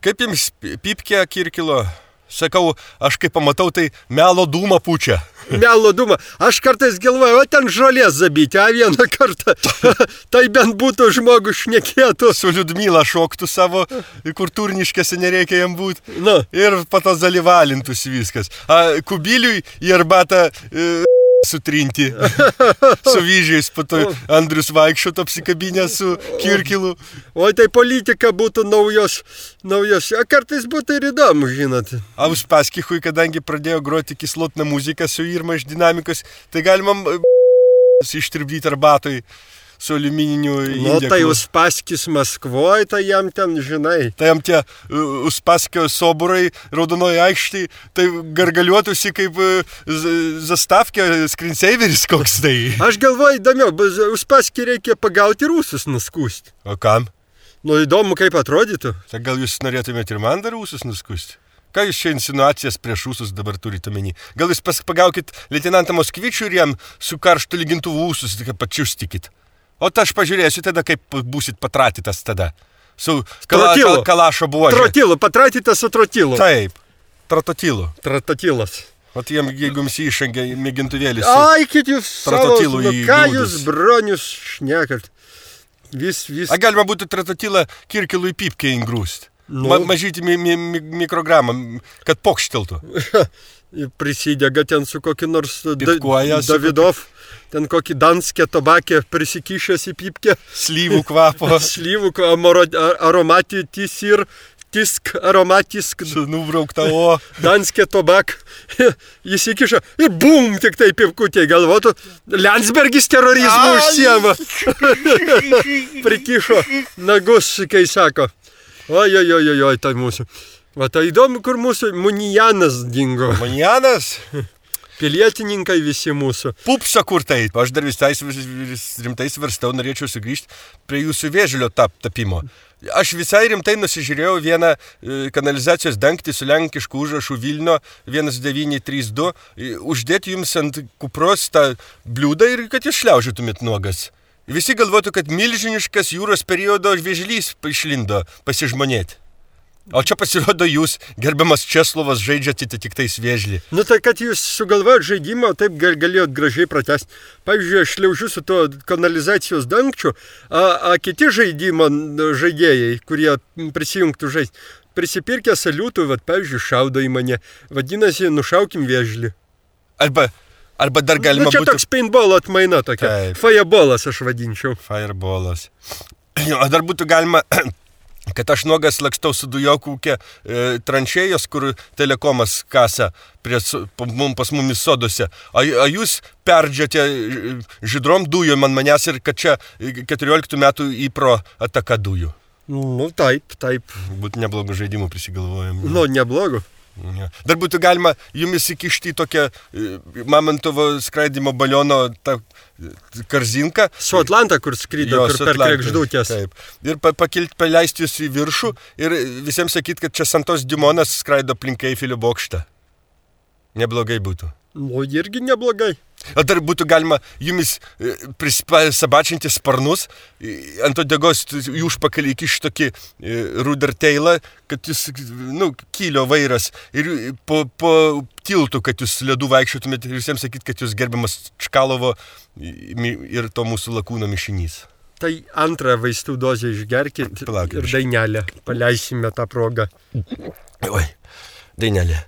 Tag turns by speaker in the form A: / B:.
A: Kaip jums pypkė Kirkilo? Sakau, aš kaip pamatau, tai melo dūmą pučia.
B: Melo dūmą. Aš kartais galvoju, o ten žolės zabyti, vieną kartą. Tai bent būtų žmogus šnekėtų.
A: Su Liudmila šoktų savo, kur turniškėse nereikia jam būti.
B: Na.
A: Ir po to dalyvalintųsi viskas. Kubiliui į arbatą sutrinti. Su vyžiais, po to Andrius vaikščiotų apsikabinę su Kirkilu.
B: O tai politika būtų naujos. Kartais būtų ir įdomu, žinot.
A: Uspaskichui, kadangi pradėjo groti kislotną muziką su Irma iš Dinamikos, tai galima ištirpdyti arbatoj su aliumininiu indeklu.
B: Nu, tai Uspaskis Maskvoje, tai jam ten, žinai.
A: Tai jam tie Uspaskio soburai raudonoje aikštėje, tai gargaliuotųsi kaip zastavkė screensaveris koks tai.
B: Aš galvoju, įdomiau, Uspaskį reikia pagauti rusus nuskūsti.
A: O kam?
B: Nu, įdomu, kaip atrodytų.
A: Tai gal jūs norėtumėte ir man dar rusus nuskūsti? Ką jūs čia insinuacijas prieš rusus dabar turite omeny? Gal jūs pagaukit leitenantą Moskvičių ir jam su karštu lygintuvu ūsus tik pačiustikit? O aš pažiūrėsiu tada, kaip būsit patratytas tada. Su kalašo buožė.
B: Trotilu, patratytas su trotilu.
A: Taip, trototilu.
B: Trototilas.
A: O tai jeigu jums įšangė mėgintuvėlis.
B: Ai, kit jūs savo, ką jūs bronius šnekat. Vis.
A: Galima būtų trototilą Kirkilui pypkę įgrūsti.
B: Nu.
A: Mažyti mikrogramą, kad pokšteltų.
B: Prisidega ten su kokį nors Davidov. Ten kokį danskė tobakė prisikišęs į pypkę.
A: Slyvų kvapo.
B: Slyvų aromatis ir tisk aromatisk.
A: Su nubraukta o.
B: Danskė tobak. Jis įkiša ir bum, tik tai pypkutė galvotų. Landsbergis terorizmu užsiema. Prikišo nagus, kai sako. Oi, tai mūsų. Va, tai įdomu, kur mūsų Munijanas dingo.
A: Munijanas?
B: Pilietininkai visi mūsų.
A: Pupsa kur tai? Aš dar visai rimtai svarstau, norėčiau sugrįžti prie jūsų vėžlio tapimo. Aš visai rimtai nusižiūrėjau vieną kanalizacijos dangtį su lenkišku užrašu Vilnio 1932, uždėti jums ant kupros tą bliūdą ir kad jūs šliaužytumėt nuogas. Visi galvotų, kad milžiniškas jūros periodo vėžlys išlindo pasižmonėti. O čia pasirodo jūs, gerbiamas Česlovas, žaidžiate tik tais vėžlį.
B: Nu tai, kad jūs sugalvojot žaidimą, taip galėjot gražiai pratęsti. Pavyzdžiui, aš šliaužiu su to kanalizacijos dangčiu, a kiti žaidimo žaidėjai, kurie prisijungtų žaisti, prisipirkę saliutų, pavyzdžiui, šaudo į mane. Vadinasi, nušaukim vėžlį.
A: Arba dar galima būtų...
B: Čia toks paintball atmaina tokia. Fireballas aš vadinčiau.
A: Fireballas. O dar būtų galima... kad aš nuogas lakstau su dujokūkė tranšėjos, kur telekomas kasa pas mumis soduose. A jūs perdžiate žydrom dujom ant manęs ir kad čia 14 metų įpro ataka dujų.
B: Nu, taip.
A: Būtų neblogų žaidimų prisigalvojami.
B: Nu, neblogų.
A: Ja. Dar būtų galima jumis įkišti tokią Mamontovo skraidimo baliono karzinką.
B: Su Atlanta, kur skrydo, kur per kregždutės.
A: Taip. Ir paleisti jūs į viršų ir visiems sakyt, kad čia Santos Dimonas skraido aplink Eifelio bokštą. Neblogai būtų.
B: Nu, irgi neblogai.
A: O dar būtų galima jumis sabačinti sparnus, ant odegos jų užpakalį įkišti tokį ruderteilą, kad jūs, kylio vairas, ir po tiltų, kad jūs ledų vaikščiotumėte ir visiems sakyt, kad jūs gerbiamas Čkalovo ir to mūsų lakūno mišinys.
B: Tai antrą vaistų dozę išgerkit ir dainelę. Paleisime tą progą.
A: Oi, dainelė.